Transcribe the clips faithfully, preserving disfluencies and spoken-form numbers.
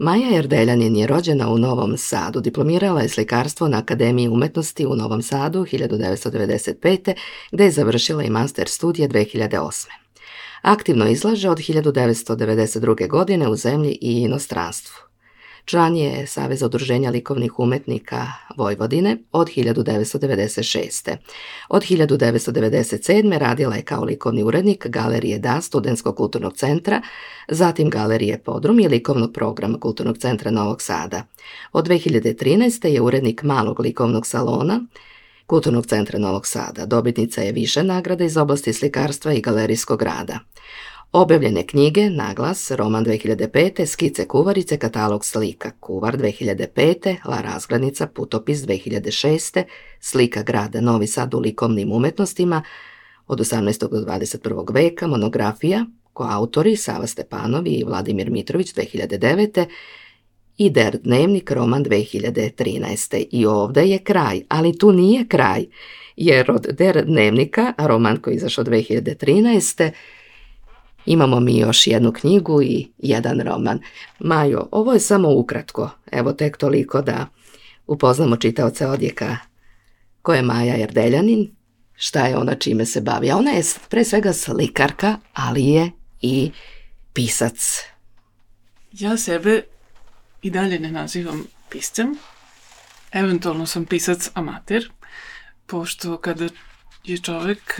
Maja Erdeljanin je rođena u Novom Sadu, diplomirala je slikarstvo na Akademiji umetnosti u Novom Sadu hiljadu devetsto devedeset pete. gde je završila i master studije dve hiljade osme. Aktivno izlaže od hiljadu devetsto devedeset druge. godine u zemlji i inostranstvu. Član je Saveza udruženja likovnih umetnika Vojvodine od hiljadu devetsto devedeset šeste. Od hiljadu devetsto devedeset sedme. radila je kao likovni urednik Galerije Da Studentskog kulturnog centra, zatim Galerije Podrum i likovnog programa Kulturnog centra Novog Sada. Od dve hiljade trinaeste. je urednik Malog likovnog salona Kulturnog centra Novog Sada. Dobitnica je više nagrada iz oblasti slikarstva i galerijskog rada. Objavljene knjige: Naglas, roman dve hiljade pete. Skice kuvarice, katalog slika, Kuvar dve hiljade pete. La razglednica, putopis dve hiljade šeste. Slika grada Novi Sad u likovnim umetnostima od osamnaestog do dvadeset prvog. veka, monografija, koautori Sava Stepanovi i Vladimir Mitrović dve hiljade devete. i Der dnevnik, roman dve hiljade trinaeste. I ovde je kraj, ali tu nije kraj, jer od Der dnevnika, roman koji je izašao dve hiljade trinaeste. imamo mi još jednu knjigu i jedan roman. Majo, ovo je samo ukratko, evo tek toliko da upoznamo čitaoce odjeka ko je Maja Erdeljanin, šta je ona, čime se bavi. A ona je pre svega slikarka, ali je i pisac. Ja sebe i dalje ne nazivam piscem, eventualno sam pisac amater, pošto kada je čovek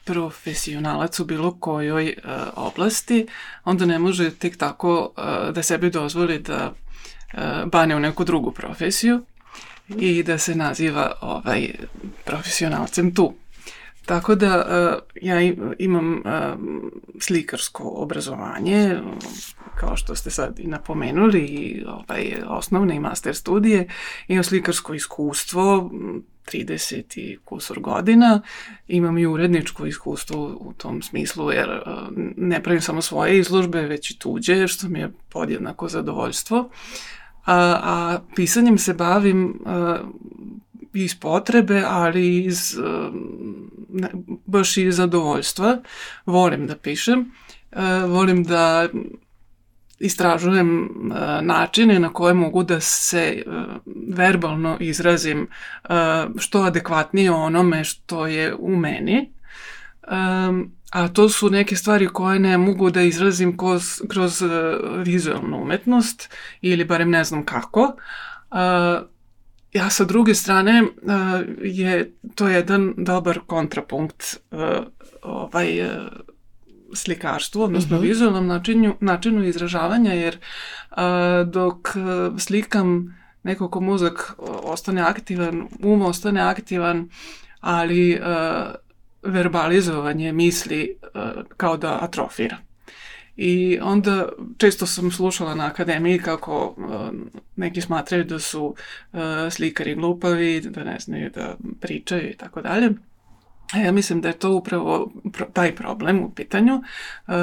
profesionalac u bilo kojoj uh, oblasti, onda ne može tek tako uh, da sebi dozvoli da uh, bane u neku drugu profesiju i da se naziva ovaj, profesionalcem tu. Tako da uh, ja imam uh, slikarsko obrazovanje, kao što ste sad i napomenuli, i ovaj, osnovne i master studije, imam slikarsko iskustvo, trideset i kusur godina, imam i uredničko iskustvo u tom smislu, jer uh, ne pravim samo svoje izložbe, već i tuđe, što mi je podjednako zadovoljstvo. A, a pisanjem se bavim uh, iz potrebe, ali iz, uh, ne, baš iz zadovoljstva. Volim da pišem, uh, volim da istražujem uh, načine na koje mogu da se uh, verbalno izrazim uh, što adekvatnije onome što je u meni. Um, a to su neke stvari koje ne mogu da izrazim kroz, kroz uh, vizualnu umetnost, ili barem ne znam kako. Uh, ja sa druge strane uh, je to jedan dobar kontrapunkt uh, ovaj uh, slikarstvu, odnosno uh-huh. vizualnom načinu, načinu izražavanja, jer uh, dok uh, slikam nekako mozak ostane aktivan, um ostane aktivan, ali uh, verbalizovanje misli uh, kao da atrofira. I onda često sam slušala na akademiji kako uh, neki smatraju da su uh, slikari glupavi, da ne znaju da pričaju i tako dalje. A ja mislim da je to upravo pro, taj problem u pitanju, uh,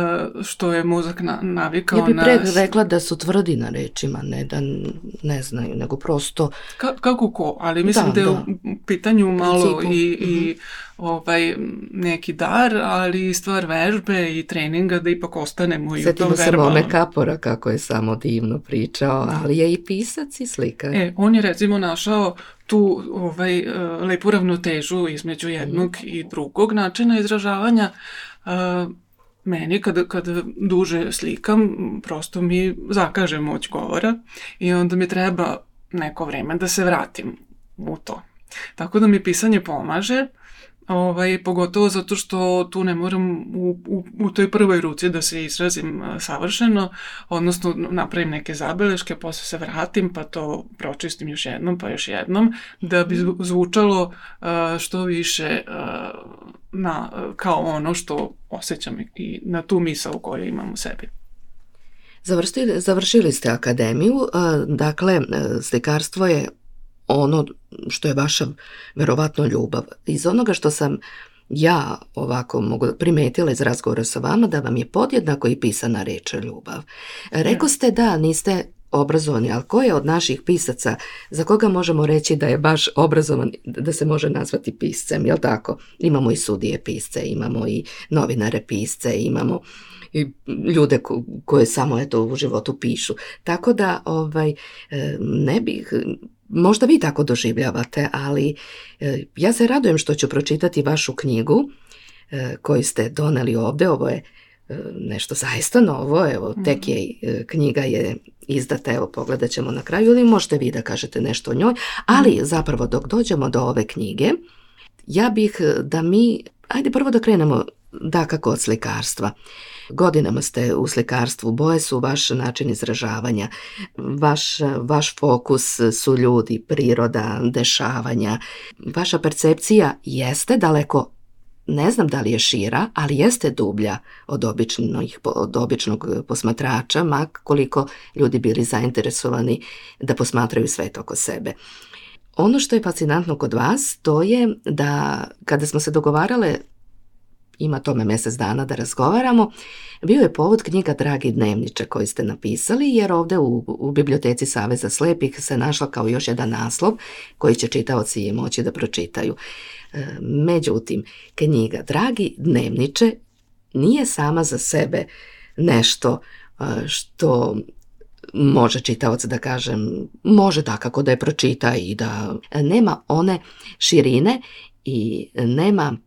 što je mozak na, navikao na... Ja bih pre rekla da su tvrdi na rečima, ne da ne znaju, nego prosto... Ka, kako ko, ali mislim da, da je da. u pitanju malo Principu. i, mm-hmm. i ovaj, neki dar, ali i stvar vežbe i treninga da ipak ostanemo i u tom verbalnom. Setimo se Mome Kapora kako je samo divno pričao, ali je i pisac i slikar. E, on je recimo našao tu ovaj, lepu ravnotežu između jednog mm. i drugog načina izražavanja. Uh, meni kada, kada duže slikam, prosto mi zakaže moć govora i onda mi treba neko vreme da se vratim u to. Tako da mi pisanje pomaže, ovaj, pogotovo zato što tu ne moram u, u, u toj prvoj ruci da se izrazim savršeno, odnosno napravim neke zabeleške, posle se vratim pa to pročistim još jednom pa još jednom, da bi zvučalo uh, što više uh, na, kao ono što osjećam i na tu misao koju imam u sebi. Završili, završili ste akademiju, uh, dakle slikarstvo je ono što je vaša verovatno ljubav. Iz onoga što sam ja ovako mogu primetila iz razgovora sa vama, da vam je podjednako i pisana reč ljubav. Rekao ste da niste obrazovani, ali ko je od naših pisaca za koga možemo reći da je baš obrazovan, da se može nazvati piscem, jel tako? Imamo i sudije pisce, imamo i novinare pisce, imamo i ljude ko, koje samo eto u životu pišu. Tako da ovaj, ne bih, možda vi tako doživljavate, ali ja se radujem što ću pročitati vašu knjigu koju ste doneli ovde. Ovo je nešto zaista novo, evo tek je, knjiga je izdata, evo pogledat ćemo na kraju, ili možete vi da kažete nešto o njoj, ali zapravo dok dođemo do ove knjige, ja bih da mi, ajde prvo da krenemo dakako od slikarstva. Godinama ste u slikarstvu, boje su vaš način izražavanja, vaš, vaš fokus su ljudi, priroda, dešavanja. Vaša percepcija jeste daleko, ne znam da li je šira, ali jeste dublja od, običnih, od običnog posmatrača, ma koliko ljudi bili zainteresovani da posmatraju svet oko sebe. Ono što je fascinantno kod vas, to je da kada smo se dogovarale, ima tome mjesec dana da razgovaramo, bio je povod knjiga Dragi dnevniče koji ste napisali, jer ovdje u, u biblioteci Saveza slepih se našla kao još jedan naslov koji će čitaoci moći da pročitaju. Međutim, knjiga Dragi dnevniče nije sama za sebe nešto što može čitaoc da kažem, može dakako da je pročita i da nema one širine i nema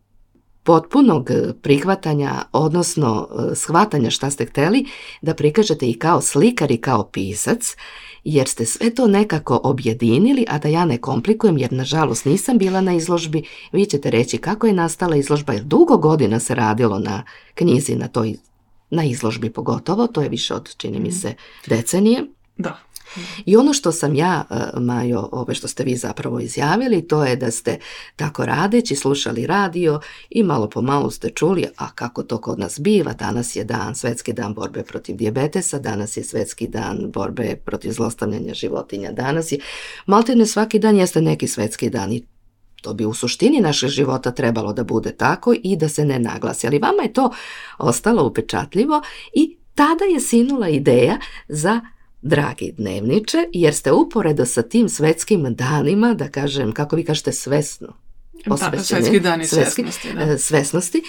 potpunog prihvatanja, odnosno shvatanja šta ste hteli da prikažete i kao slikar i kao pisac, jer ste sve to nekako objedinili, a da ja ne komplikujem, jer nažalost nisam bila na izložbi. Vi ćete reći kako je nastala izložba, jer dugo godina se radilo na knjizi, na toj, na izložbi pogotovo, to je više od, čini mi se, decenije. Da. I ono što sam ja, Majo, ove što ste vi zapravo izjavili, to je da ste tako radeći slušali radio i malo po malo ste čuli, a kako to kod nas biva, danas je dan, Svetski dan borbe protiv dijabetesa, danas je Svetski dan borbe protiv zlostavljanja životinja, danas je, maltene svaki dan jeste neki svetski dan i to bi u suštini našeg života trebalo da bude tako i da se ne naglasi, ali vama je to ostalo upečatljivo i tada je sinula ideja za Dragi dnevniče, jer ste uporedo sa tim svetskim danima, da kažem, kako vi kažete, svesno posvećeni, svetski dani svetski, svesnosti, da. svesnosti,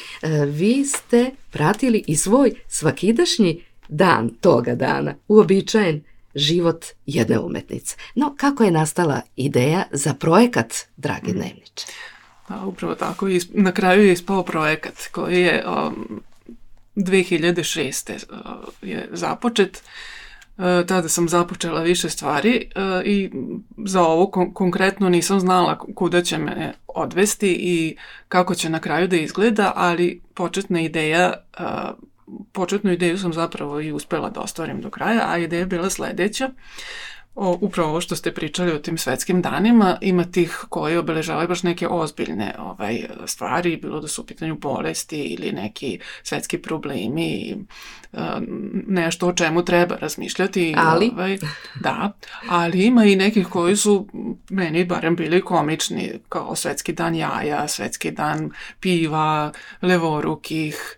vi ste pratili i svoj svakidašnji dan toga dana, uobičajen život jedne umetnice. No, kako je nastala ideja za projekat Dragi dnevniče? Pa, upravo tako, na kraju je ispao projekat koji je um, dve hiljade šeste. Uh, je započet. Tada sam započela više stvari i za ovo kon- konkretno nisam znala kuda će me odvesti i kako će na kraju da izgleda, ali početna ideja, početnu ideju sam zapravo i uspela da ostvarim do kraja, a ideja je bila sljedeća. O, upravo ovo što ste pričali o tim svetskim danima, ima tih koji obeležavaju baš neke ozbiljne ovaj, stvari, bilo da su u pitanju bolesti ili neki svetski problemi, nešto o čemu treba razmišljati. Ali? Ovaj, da, ali ima i nekih koji su meni barem bili komični, kao Svetski dan jaja, Svetski dan piva, levorukih,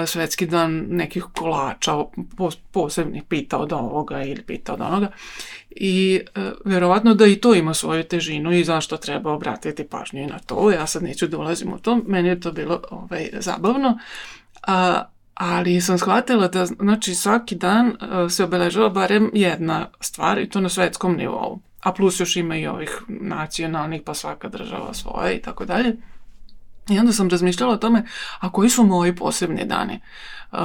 Svetski dan nekih kolača, posebnih pita od ovoga ili pita od onoga. I e, vjerovatno da i to ima svoju težinu i zašto treba obratiti pažnju na to. Ja sad neću da ulazim u to, meni je to bilo ovaj, zabavno. A, ali sam shvatila da znači, svaki dan a, se obeležava barem jedna stvar i to na svetskom nivou. A plus još ima i ovih nacionalnih, pa svaka država svoje i tako dalje. I onda sam razmišljala o tome, a koji su moji posebni dani uh,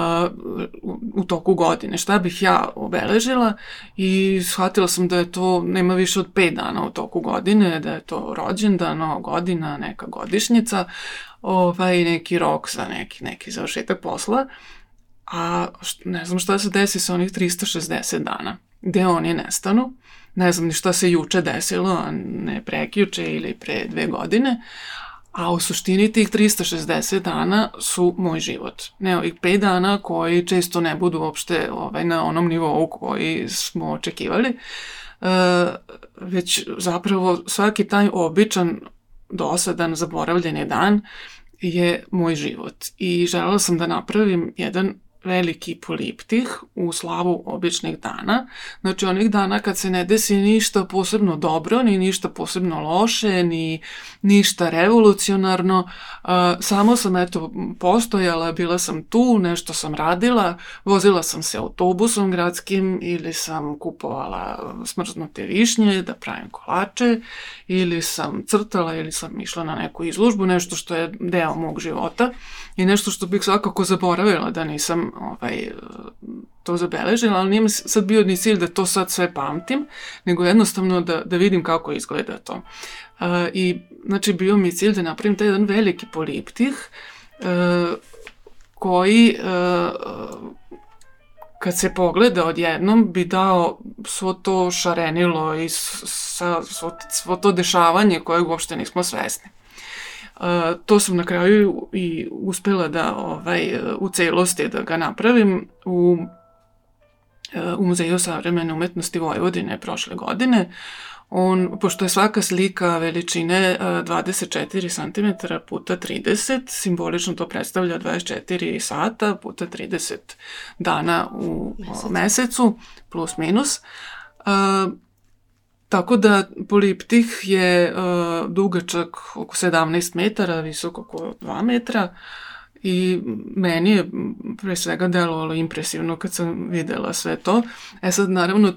u, u toku godine, šta bih ja obeležila i shvatila sam da je to, nema više od pet dana u toku godine, da je to rođendan, nova godina, neka godišnjica, ovaj, neki rok za neki, neki završetak posla, a ne znam šta se desi sa onih tristo šezdeset dana, gde oni nestanu, ne znam ni šta se juče desilo, a ne prekjuče ili pre dve godine, a u suštini tih tristo šezdeset dana su moj život. Ne ovih pet dana koji često ne budu uopšte ovaj, na onom nivou koji smo očekivali, e, već zapravo svaki taj običan, dosadan, zaboravljeni dan je moj život. I željela sam da napravim jedan veliki poliptih u slavu običnih dana. Znači onih dana kad se ne desi ništa posebno dobro, ni ništa posebno loše, ni ništa revolucionarno. Uh, samo sam eto postojala, bila sam tu, nešto sam radila, vozila sam se autobusom gradskim ili sam kupovala smrznute višnje da pravim kolače ili sam crtala ili sam išla na neku izložbu, nešto što je deo mog života i nešto što bih svakako zaboravila da nisam ovaj, to zabeležila, ali nije mi sad bio ni cilj da to sad sve pamtim, nego jednostavno da, da vidim kako izgleda to. Uh, I znači bio mi cilj da napravim taj jedan veliki poliptih uh, koji uh, kad se pogleda odjednom bi dao svo to šarenilo i sa, svo, svo to dešavanje koje uopšte nismo svesni. Uh, to sam na kraju i uspela da ovaj, u celosti da ga napravim u, uh, u Muzeju savremene umetnosti Vojvodine prošle godine. On, pošto je svaka slika veličine dvadeset četiri centimetra puta trideset, simbolično to predstavlja dvadeset četiri sata puta trideset dana u Mesec. mesecu, plus minus. Uh, tako da poliptih je uh, dugačak oko sedamnaest metara, visok oko dva metra. I meni je pre svega delovalo impresivno kad sam videla sve to. E sad, naravno,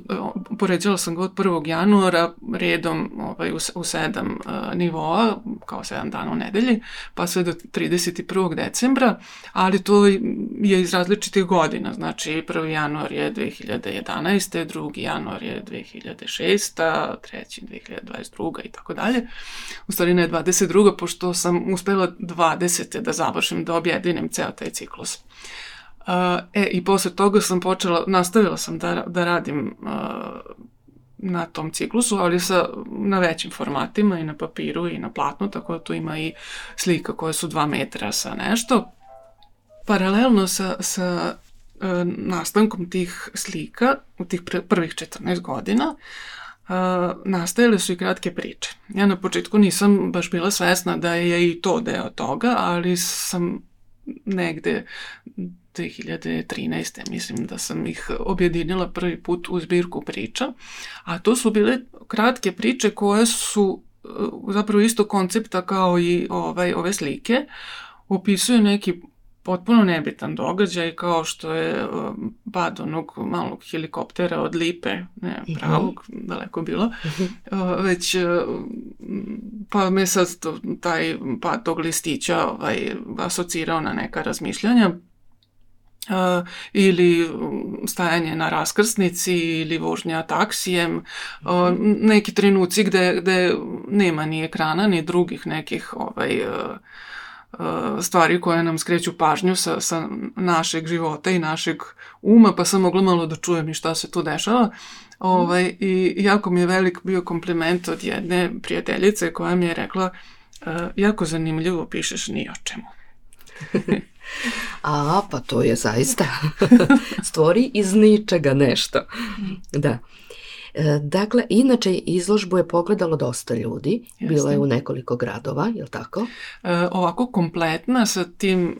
poređala sam ga od prvog januara redom ovaj, u, u sedam uh, nivoa, kao sedam dana u nedelji, pa sve do trideset prvog decembra, ali to je iz različitih godina. Znači, prvi januar je dve hiljade jedanaeste. drugi januar je dve hiljade šeste. treći dve hiljade dvadeset druga. i tako dalje. U stvari ne dvadeset druga. pošto sam uspela dvadesete da završim, da objedinim ceo taj ciklus. Uh, e, i posle toga sam počela, nastavila sam da, da radim uh, na tom ciklusu, ali sa, na većim formatima i na papiru i na platnu, tako da tu ima i slika koje su dva metra sa nešto. Paralelno sa, sa uh, nastankom tih slika, u tih pr- prvih četrnaest godina, Uh, nastajale su i kratke priče. Ja na početku nisam baš bila svesna da je i to deo toga, ali sam negde dve hiljade trinaeste. mislim da sam ih objedinila prvi put u zbirku priča, a to su bile kratke priče koje su uh, zapravo isto koncepta kao i ovaj, ove slike, opisuju neki potpuno nebitan događaj, kao što je uh, pad onog malog helikoptera od Lipe, ne pravog, uh-huh. daleko bilo, uh, već uh, pa me sad to, taj pad tog listića ovaj, asocirao na neka razmišljanja. Uh, ili stajanje na raskrsnici ili vožnja taksijem, uh, neki trenuci gde, gde nema ni ekrana ni drugih nekih ovaj, uh, stvari koje nam skreću pažnju sa, sa našeg života i našeg uma, pa sam mogla malo da čujem i šta se tu dešava. Ovaj, i jako mi je velik bio kompliment od jedne prijateljice koja mi je rekla uh, jako zanimljivo pišeš ni o čemu. A, pa to je zaista stvori iz ničega nešto. Da. Dakle, inače izložbu je pogledalo dosta ljudi, Jeste. Bila je u nekoliko gradova, je li tako? E, ovako kompletna sa tim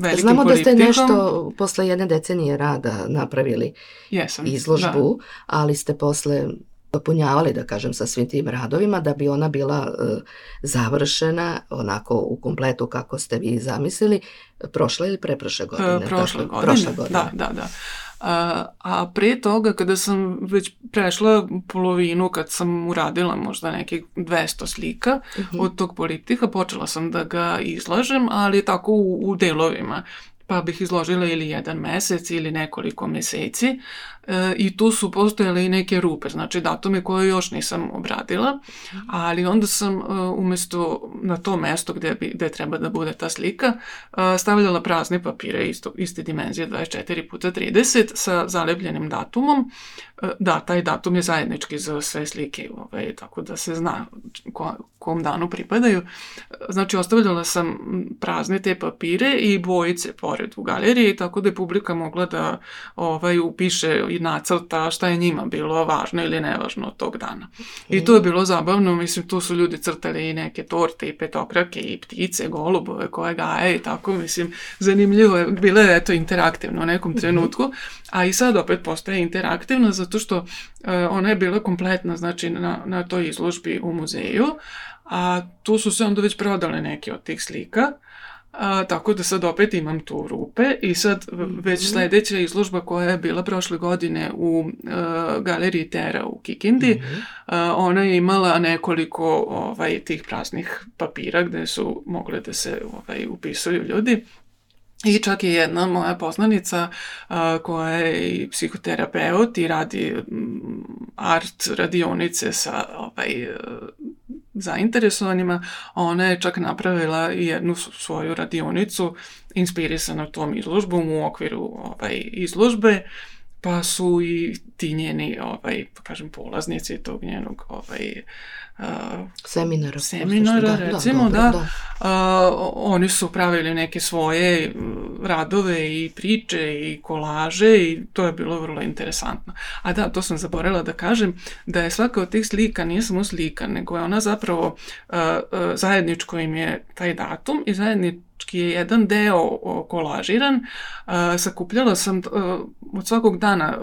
velikim Znamo poliptihom. Da ste nešto posle jedne decenije rada napravili Jesam, izložbu, da. Ali ste posle dopunjavali, da kažem, sa svim tim radovima da bi ona bila e, završena onako u kompletu kako ste vi zamislili prošle ili preprošle godine? E, prošle, tako, godine. prošle godine. Da, da, da. A, a pre toga, kada sam već prešla polovinu, kad sam uradila možda nekih dvesta slika uh-huh. od tog poliptiha, počela sam da ga izlažem, ali tako u, u delovima. Pa bih izložila ili jedan mesec ili nekoliko meseci e, i tu su postojale i neke rupe, znači datume koje još nisam obradila, ali onda sam e, umjesto na to mesto gde, bi, gde treba da bude ta slika e, stavljala prazne papire isto, iste dimenzije dvadeset četiri puta trideset sa zalepljenim datumom. E, da, taj datum je zajednički za sve slike, ovaj, tako da se zna ko, kom danu pripadaju. Znači ostavljala sam prazne te papire i bojice pored u galeriji, tako da je publika mogla da ovaj, upiše nacrta šta je njima bilo važno ili nevažno od tog dana. I to je bilo zabavno, mislim, tu su ljudi crtali i neke torte i petokrake i ptice, golubove koje gaje i tako, mislim, zanimljivo je, bilo je eto interaktivno u nekom trenutku, a i sad opet postaje interaktivno zato što uh, ona je bila kompletna, znači na, na toj izložbi u muzeju, a tu su se onda već prodale neke od tih slika. A, tako da sad opet imam tu rupe i sad već sljedeća izložba koja je bila prošle godine u uh, galeriji Tera u Kikindi, mm-hmm. uh, ona je imala nekoliko ovaj, tih praznih papira gde su mogle da se ovaj, upisuju ljudi. I čak je jedna moja poznanica uh, koja je i psihoterapeut i radi um, art radionice sa ovaj, uh, zainteresovanima, ona je čak napravila jednu svoju radionicu inspirisanu tom izložbom u okviru ovaj, izložbe, pa su i ti njeni, ovaj, pa kažem, polaznici tog njenog ovaj, uh, seminara, seminara da, recimo, da, da, da. Uh, oni su pravili neke svoje radove i priče i kolaže i to je bilo vrlo interesantno. A da, to sam zaboravila da kažem, da je svaka od tih slika nije samo slika, nego je ona zapravo uh, uh, zajedničko im je taj datum i zajedničko je jedan deo kolažiran. Uh, sakupljala sam uh, od svakog dana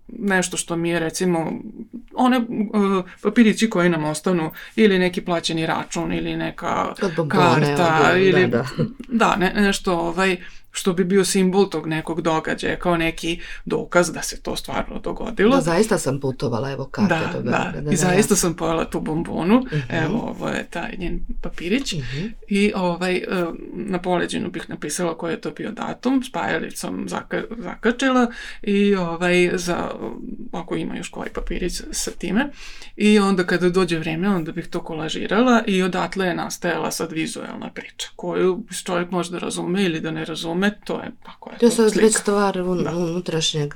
nešto što mi je recimo one uh, papirići koji nam ostanu ili neki plaćeni račun ili neka karta od, ili da, da. da ne, nešto ovaj što bi bio simbol tog nekog događaja, kao neki dokaz da se to stvarno dogodilo. Da, zaista sam putovala, evo karte da, do Beograda. Da, da, i zaista ja. sam pojela tu bombonu, uh-huh. Evo, ovo je taj njen papirić, uh-huh. I ovaj, na poleđinu bih napisala koji je to bio datum, s pajalicom zaka, zakačila i ovaj, za, ako ima još koji papirić sa time, i onda kada dođe vreme, onda bih to kolažirala i odatle je nastajala sad vizuelna priča, koju čovjek može da razume ili da ne razume. To je, tako je, to je sad slika. već stvar un, unutrašnjeg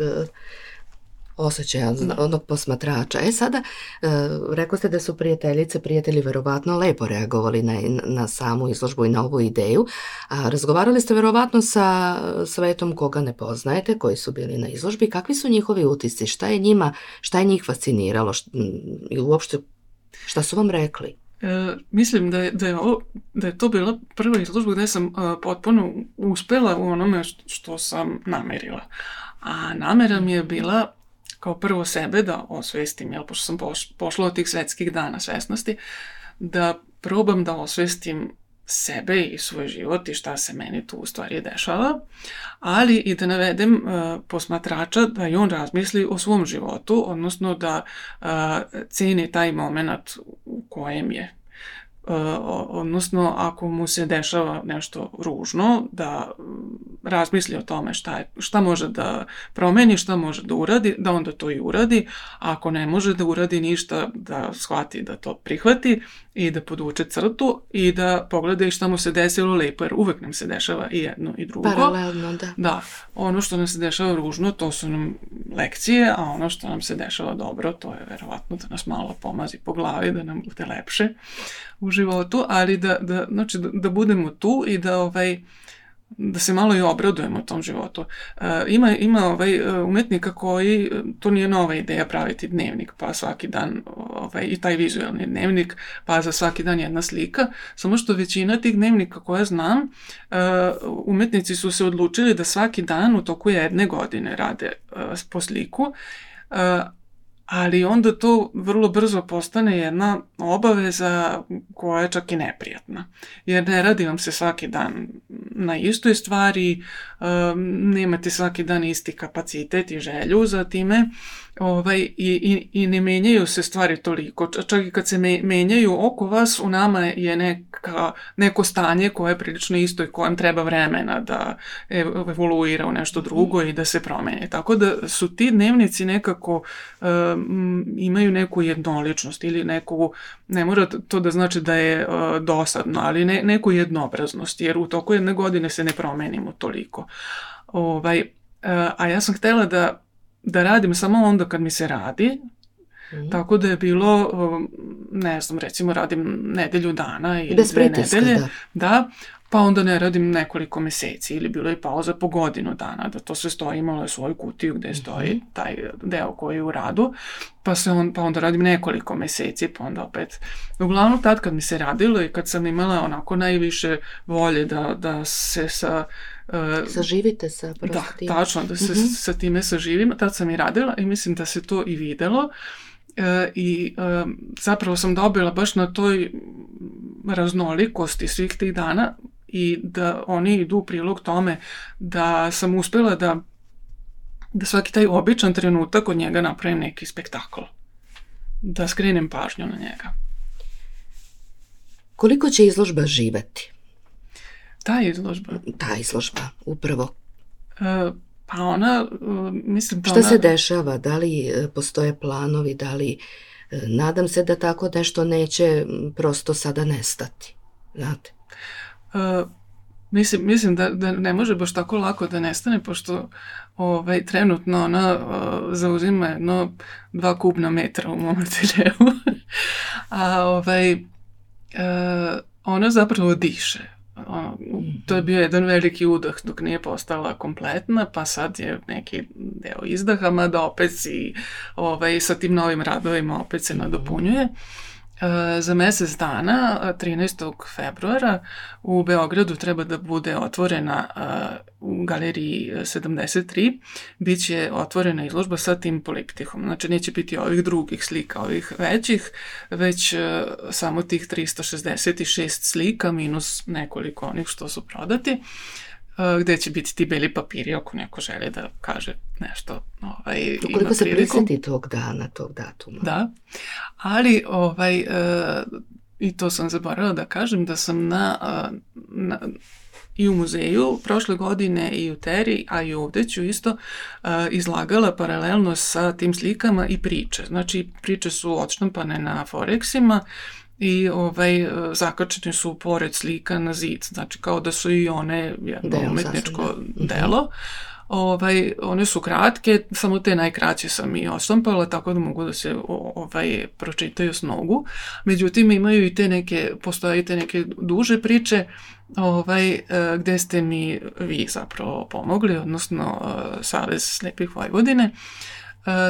osjećaja onog posmatrača. E sada, uh, rekao ste da su prijateljice, prijatelji verovatno lepo reagovali na, na samu izložbu i na ovu ideju, a razgovarali ste verovatno sa svetom koga ne poznajete, koji su bili na izložbi. Kakvi su njihovi utisci? Šta je njima, šta je njih fasciniralo? Šta, i uopšte, šta su vam rekli? E, mislim da je, da, je ovo, da je to bila prva izložba gde sam uh, potpuno uspela u onome što, što sam namerila. A namera mi je bila kao prvo sebe da osvestim, jel, pošto sam poš, pošla od tih svetskih dana svesnosti, da probam da osvestim sebe i svoj život i šta se meni tu u stvari dešava, ali i da navedem uh, posmatrača da i on razmisli o svom životu, odnosno da uh, ceni taj moment u kojem je. Uh, odnosno, ako mu se dešava nešto ružno, da razmisli o tome šta, je, šta može da promeni, šta može da uradi, da onda to i uradi, a ako ne može da uradi ništa, da shvati da to prihvati i da podvuče crtu i da pogleda i šta mu se desilo lepo, jer uvek nam se dešava i jedno i drugo. Paralelno, da. Da, ono što nam se dešava ružno, to su nam lekcije, a ono što nam se dešava dobro, to je verovatno da nas malo pomazi po glavi, da nam bude lepše u životu, ali da, da, znači, da, da budemo tu i da ovaj, da se malo i obradujemo tom životu. Uh, ima ima ovaj, umetnika koji, to nije nova ideja praviti dnevnik, pa svaki dan ovaj, i taj vizualni dnevnik, pa za svaki dan jedna slika, samo što većina tih dnevnika koje znam, uh, umetnici su se odlučili da svaki dan u toku jedne godine rade uh, po sliku, uh, ali onda to vrlo brzo postane jedna obaveza koja je čak i neprijatna. Jer ne radi vam se svaki dan na istoj stvari, um, nemate svaki dan isti kapacitet i želju za time, ovaj, i, i, i ne menjaju se stvari toliko. Čak i kad se me, menjaju oko vas, u nama je neka, neko stanje koje je prilično isto i kojem treba vremena da evoluira u nešto drugo i da se promeni. Tako da su ti dnevnici nekako um, imaju neku jednoličnost ili neku, ne mora to da znači da je uh, dosadno, ali ne, neku jednobraznost, jer u toku jedne godine se ne promenimo toliko. Ovaj, uh, a ja sam htjela da da radim samo onda kad mi se radi, mm. tako da je bilo um, ne znam, recimo radim nedelju dana ili Bez dve pritiska, nedelje, da. da, pa onda ne radim nekoliko meseci ili bilo je pauza po godinu dana, da to sve stoji, imalo je svoju kutiju gde stoji taj deo koji je u radu, pa, se on, pa onda radim nekoliko meseci, pa onda opet. Uglavnom tad kad mi se radilo i kad sam imala onako najviše volje da, da se sa... Uh, Saživite sa da, prostim. tačno, da se Mhm. sa time saživim, tad sam i radila i mislim da se to i videlo. E, i e, zapravo sam dobila baš na toj raznolikosti svih tih dana i da oni idu u prilog tome da sam uspela da, da svaki taj običan trenutak od njega napravim neki spektakl. Da skrenem pažnju na njega. Koliko će izložba živeti? Ta izložba. Ta izložba, upravo. E, pa ona, e, mislim da Šta ona... se dešava? Da li e, postoje planovi? Da li... e, Nadam se da tako nešto neće m, prosto sada nestati. Znate? E, mislim, mislim da, da ne može baš tako lako da nestane, pošto ovaj, trenutno ona e, zauzima jedno dva kubna metra u mom ateljevu. A ovaj, e, ona zapravo diše. Ono, to je bio jedan veliki udah dok nije postala kompletna, pa sad je neki deo izdaha, mada opet i ovaj, sa tim novim radovima opet se nadopunjuje. E, za mesec dana, trinaestog februara, u Beogradu treba da bude otvorena e, u galeriji sedamdeset tri, bit će otvorena izložba sa tim poliptihom. Znači neće biti ovih drugih slika, ovih većih, već e, samo tih tristo šezdeset šest slika minus nekoliko onih što su prodati, e, gde će biti ti beli papiri ako neko želi da kaže nešto. Ovaj, Ukoliko se prisjeti tog dana, tog datuma. Da, ali ovaj, e, i to sam zaboravila da kažem da sam na, na i u muzeju prošle godine i u Teri, a i ovde ću isto uh, izlagala paralelno sa tim slikama i priče. Znači, priče su odštampane na Forexima i ovaj, zakačene su pored slika na zid. Znači, kao da su i one jedno Deo, umetničko sasvim, da. delo. Ovaj, one su kratke, samo te najkraće sam i oštampala, tako da mogu da se ovaj, pročitaju s nogu. Međutim, imaju i te neke, postoje i te neke duže priče, ovaj, gde ste mi vi zapravo pomogli, odnosno Savez slepih Vojvodine,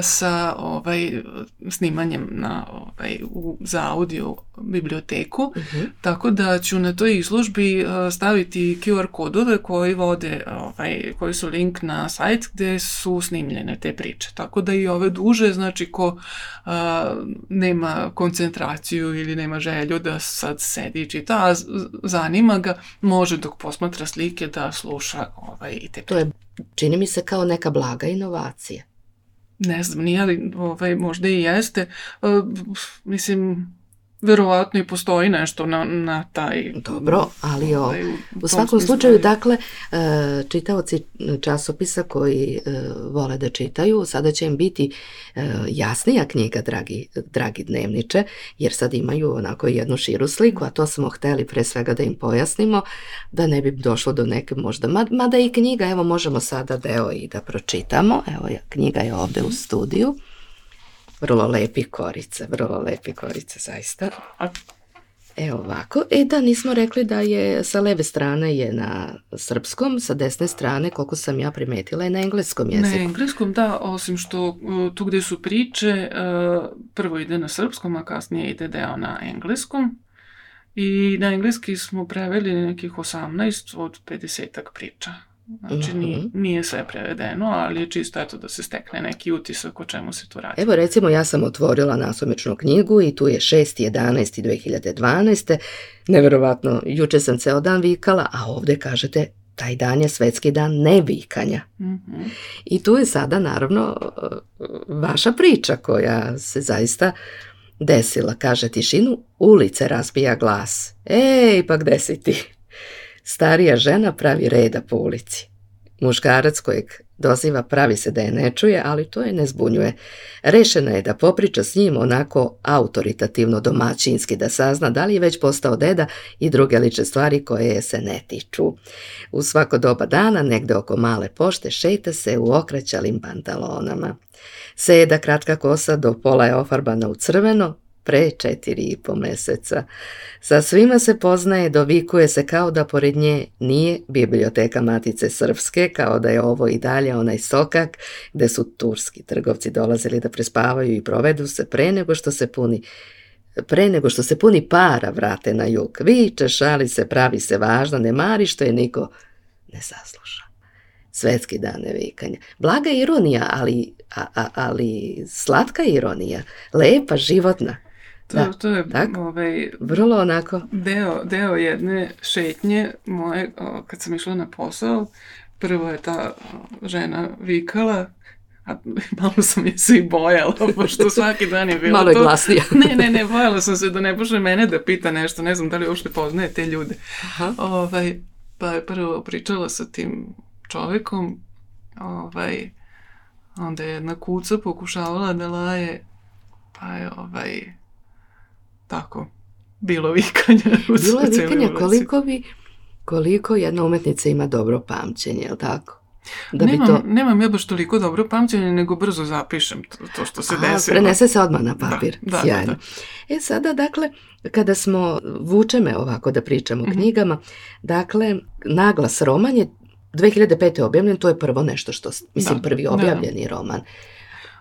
sa ovaj, snimanjem na, ovaj, u, za audio biblioteku, Uh-huh. tako da ću na toj izložbi staviti Q R kodove koji vode, ovaj, koji su link na sajt gde su snimljene te priče. Tako da i ove duže, znači ko a, nema koncentraciju ili nema želju da sad sedi i čita, a zanima ga, može dok posmatra slike da sluša ovaj, i te priče. To je, čini mi se, kao neka blaga inovacija. Ne znam, nije li, ovaj, možda i jeste. Uh, mislim, verovatno i postoji nešto na, na taj... Dobro, ali o, ovaj, u svakom slučaju, dakle, e, čitaoci časopisa koji e, vole da čitaju, sada će im biti e, jasnija knjiga, dragi, dragi dnevniče, jer sad imaju onako jednu širu sliku, a to smo hteli pre svega da im pojasnimo, da ne bi došlo do neke možda, mada i knjiga, evo možemo sada deo i da pročitamo, evo knjiga je ovde u studiju. Vrlo lepi korice, vrlo lepi korice, zaista. Evo ovako. E da, nismo rekli da je sa leve strane je na srpskom, sa desne strane, koliko sam ja primetila, je na engleskom jeziku. Na engleskom, da, osim što tu gde su priče, prvo ide na srpskom, a kasnije ide deo na engleskom. I na engleski smo preveli nekih osamnaest od pedesetak priča. Znači, nije, nije sve prevedeno, ali je čisto eto da se stekne neki utisak o čemu se tu radi. Evo recimo, ja sam otvorila nasumičnu knjigu i tu je šesti jedanaesti dve hiljade dvanaeste. Neverovatno, juče sam ceo dan vikala, a ovde kažete taj dan je svetski dan nevikanja. Mm-hmm. I tu je sada naravno vaša priča koja se zaista desila. Kaže, tišinu ulice razbija glas. Ej, pa gde si ti? Starija žena pravi reda po ulici. Muškarac kojeg doziva pravi se da je ne čuje, ali to je ne zbunjuje. Rešena je da popriča s njim onako autoritativno domaćinski, da sazna da li je već postao deda i druge lične stvari koje je se ne tiču. U svako doba dana, negde oko male pošte, šeta se u okraćalim pantalonama. Seda kratka kosa do pola je ofarbana u crveno, pre četiri i po meseca. Sa svima se poznaje, dovikuje se kao da pored nje nije biblioteka Matice Srpske, kao da je ovo i dalje onaj sokak gde su turski trgovci dolazili da prespavaju i provedu se pre nego što se puni pre nego što se puni para vrate na jug. Viče, šali se, pravi se važno, ne mari što je niko ne sasluša. Svetski dan nevikanja. Blaga ironija, ali, a, a, ali slatka ironija. Lepa, životna. To, da, to je tako? Ovaj, vrlo onako. Deo, deo jedne šetnje moje, o, kad sam išla na posao, prvo je ta o, žena vikala, a malo sam je se i bojala, pošto svaki dan je bilo malo je to. glasnije. ne, ne, ne, bojala sam se da ne počne mene da pita nešto, ne znam da li uopšte poznaje te ljude. Aha. Ovaj, pa je prvo pričala sa tim čovjekom, ovaj, onda je jedna kuca pokušavala da laje, pa je ovaj, tako, bilo vikanja. Bilo je vikanja koliko bi, koliko jedna umetnica ima dobro pamćenje, je li tako? Da nemam, bi to... nemam ja baš toliko dobro pamćenje, nego brzo zapišem to, to što se Aha, desilo. prenese se odmah na papir. Da, da, sjajno. da, da. E sada, dakle, kada smo, vuče me ovako da pričamo o Mhm. knjigama, dakle, Naglas roman je dve hiljade pete. objavljen, to je prvo nešto što, mislim, Da, prvi da. objavljeni roman.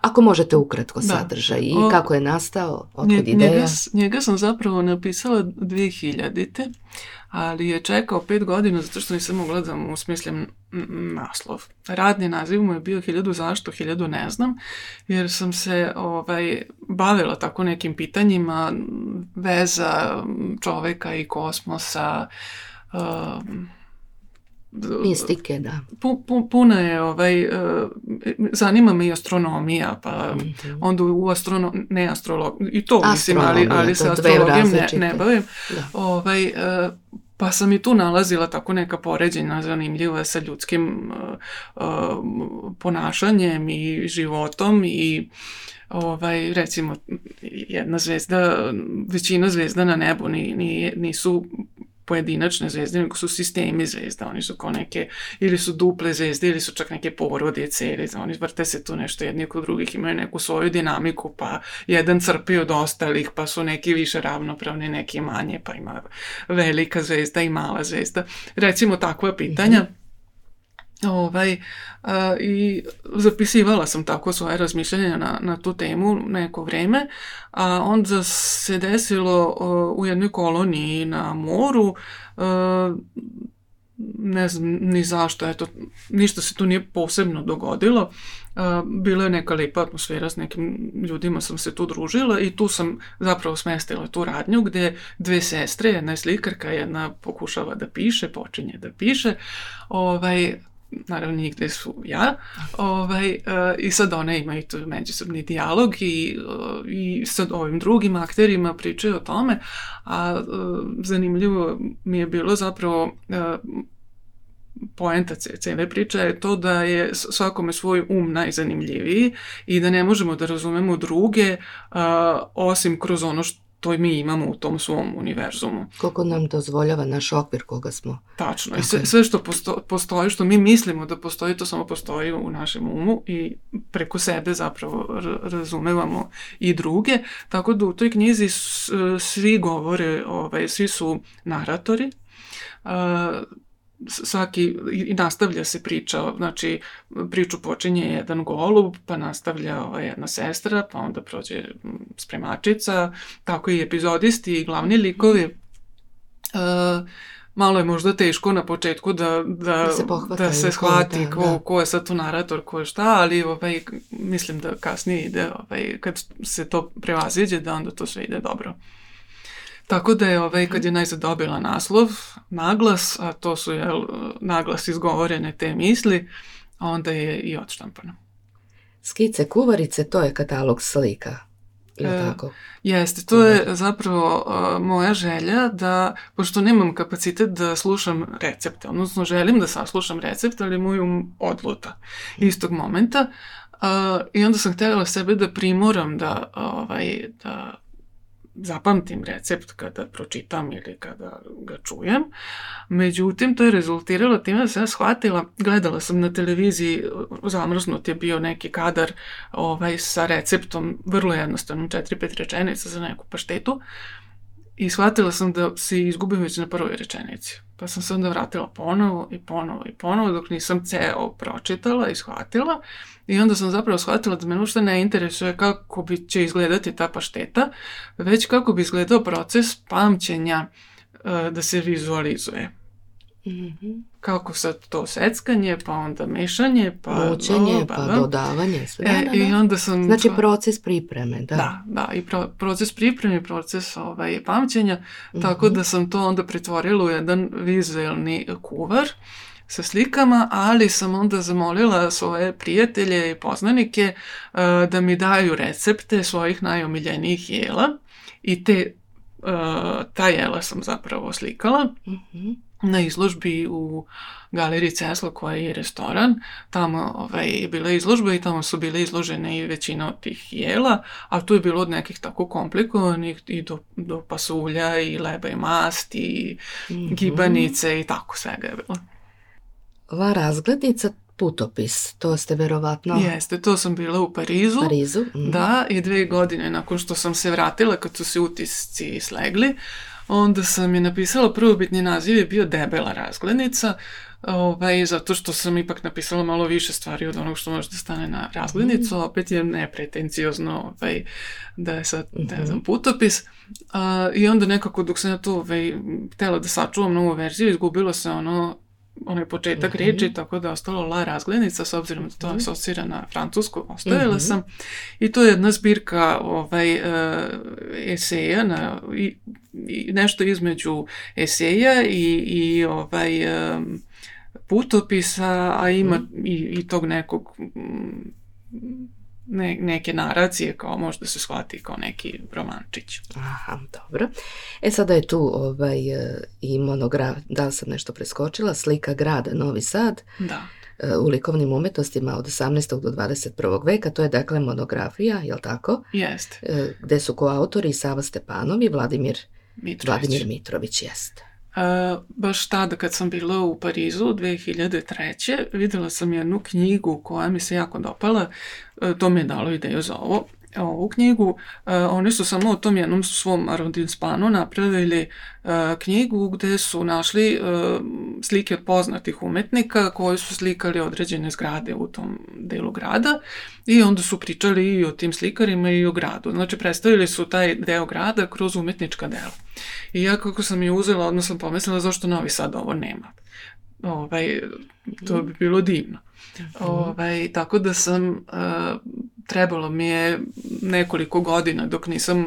Ako možete ukratko Da. sadržaj i O, kako je nastao, otkud Nje- ideja. Njega, s- njega sam zapravo napisala dve hiljadite. ali je čekao pet godina zato što nisam mogla da mu smislim n- naslov. Radni naziv mu je bio hiljadu zašto, hiljadu ne znam, jer sam se ovaj, bavila tako nekim pitanjima veza čoveka i kosmosa, um, Mistike, da. pu, pu, puna je, ovaj, uh, zanima me i astronomija, pa Mhm. onda u astrono, ne astrolog, i to mislim, ali, Astronomija, ali to se dve astrologijom ne, različite. ne bavim. Da. Ovaj, uh, pa sam i tu nalazila tako neka poređenja zanimljiva sa ljudskim uh, uh, ponašanjem i životom i ovaj, recimo jedna zvezda, većina zvezda na nebu ni, ni, nisu pojedinačne zvezde, nego su sistemi zvezda, oni su kao neke, ili su duple zvezde, ili su čak neke porodice, ili oni vrte se tu nešto jedni kod drugih, imaju neku svoju dinamiku, pa jedan crpi od ostalih, pa su neki više ravnopravni, neki manje, pa ima velika zvezda i mala zvezda. Recimo takva pitanja. Ovaj, a, i zapisivala sam tako svoje razmišljanja na, na tu temu neko vreme, a onda se desilo a, u jednoj koloniji na moru, a, ne znam ni zašto, eto, ništa se tu nije posebno dogodilo, a, bila je neka lijepa atmosfera, s nekim ljudima sam se tu družila i tu sam zapravo smestila tu radnju gdje dve sestre, jedna je slikarka, jedna pokušava da piše, počinje da piše, ovaj, naravno njih gde su ja, ovaj, uh, i sad one imaju tu međusobni dijalog i, uh, i sad ovim drugim akterima pričaju o tome, a uh, zanimljivo mi je bilo zapravo uh, poenta cele priče je to da je svakome svoj um najzanimljiviji i da ne možemo da razumemo druge uh, osim kroz ono što to mi imamo u tom svom univerzumu. Koliko nam dozvoljava naš okvir koga smo. Tačno. I sve, sve što posto, postoji, što mi mislimo da postoji, to samo postoji u našem umu i preko sebe zapravo razumevamo i druge. Tako da u toj knjizi s, svi govore, ovaj, svi su naratori, uh, svaki, i nastavlja se priča, znači priču počinje jedan golub, pa nastavlja ova jedna sestra, pa onda prođe spremačica, tako i epizodisti i glavni likovi. Uh, malo je možda teško na početku da, da, Da se pohvataju da se ko je shvati ta, ko, da. ko je sad tu narator, ko je šta, ali ovaj, mislim da kasnije ide, ovaj, kad se to prevaziđe, da onda to sve ide dobro. Tako da je, ovaj, kad je najzad dobila naslov, naglas, a to su jel, naglas izgovorene te misli, onda je i odštampano. Skice kuvarice, to je katalog slika. Je E, tako? Jeste, to je zapravo uh, moja želja da, pošto nemam kapacitet da slušam recepte, odnosno želim da saslušam recept, ali moj um odluta istog momenta. Uh, I onda sam htjela sebe da primoram da, ovaj, da zapamtim recept kada pročitam ili kada ga čujem. Međutim, to je rezultiralo time da sam ja shvatila, gledala sam na televiziji, zamrznut je bio neki kadar ovaj, sa receptom, vrlo jednostavnom, četiri pet rečenica za neku paštetu. I shvatila sam da se izgubim već na prvoj rečenici. Pa sam se onda vratila ponovo i ponovo i ponovo dok nisam ceo pročitala i shvatila. I onda sam zapravo shvatila da me uopšte ne interesuje kako bi će izgledati ta pašteta, već kako bi izgledao proces pamćenja uh, da se vizualizuje. Mm-hmm. Kako sad to seckanje, pa onda mešanje, pa učenje, pa da. dodavanje. Sve. E, da, da. I onda sam... Znači proces pripreme, da. Da, da, i pro, proces pripreme, proces ovaj, pamćenja, mm-hmm. tako da sam to onda pretvorila u jedan vizualni kuvar sa slikama, ali sam onda zamolila svoje prijatelje i poznanike uh, da mi daju recepte svojih najomiljenijih jela i te, uh, ta jela sam zapravo slikala. Mm-hmm. Na izložbi u galeriji Cesla koja je restoran, tamo ovaj, je bila izložba i tamo su bile izložene i većina od tih jela, a tu je bilo od nekih tako komplikovanih i do, do pasulja i leba i masti i mm-hmm. gibanice i tako svega je bilo. Ova razglednica putopis, to ste verovatno... Jeste, to sam bila u Parizu. Parizu. Mm-hmm. Da, i dve godine nakon što sam se vratila, kad su se utisci slegli, onda sam je napisala, prvobitni naziv je bio Debela razglednica, ovaj, zato što sam ipak napisala malo više stvari od onog što može da stane na razglednicu, mm-hmm. opet je nepretenciozno ovaj, da je sad, mm-hmm. ne znam, putopis. A, I onda nekako dok sam ja to ovaj, htjela da sačuvam novu verziju, izgubilo se ono onaj početak mm-hmm. riječi, tako da je ostalo La razglednica, s obzirom da to asocira na francusku, ostavila mm-hmm. sam. I to je jedna zbirka ovaj, uh, eseja, na, i, i nešto između eseja i, i ovaj, um, putopisa, a ima mm-hmm. i, i tog nekog ne, neke naracije, kao možda se shvati kao neki romančić. Aha, dobro. E sada je tu ovaj, i monograf, da li sam nešto preskočila, slika grada Novi Sad. Da. U likovnim umetnostima od osamnaestog do dvadeset prvog veka, to je dakle monografija, jel tako? Jeste. Gde su koautori Sava Stepanov i Vladimir Mitrović. Vladimir Mitrović, jeste. Uh, baš tada kad sam bila u Parizu dve hiljade treće videla sam jednu knjigu koja mi se jako dopala, uh, to mi je dalo ideju za ovo. Ovu knjigu, uh, oni su samo u tom jednom svom arrondissementu napravili uh, knjigu gde su našli uh, slike od poznatih umetnika koji su slikali određene zgrade u tom delu grada i onda su pričali i o tim slikarima i o gradu. Znači predstavili su taj deo grada kroz umetnička dela. I ja kako sam je uzela, odmah sam pomislila zašto Novi Sad ovo nema. Ovaj, to bi bilo divno. Ovaj, tako da sam, uh, trebalo mi je nekoliko godina dok nisam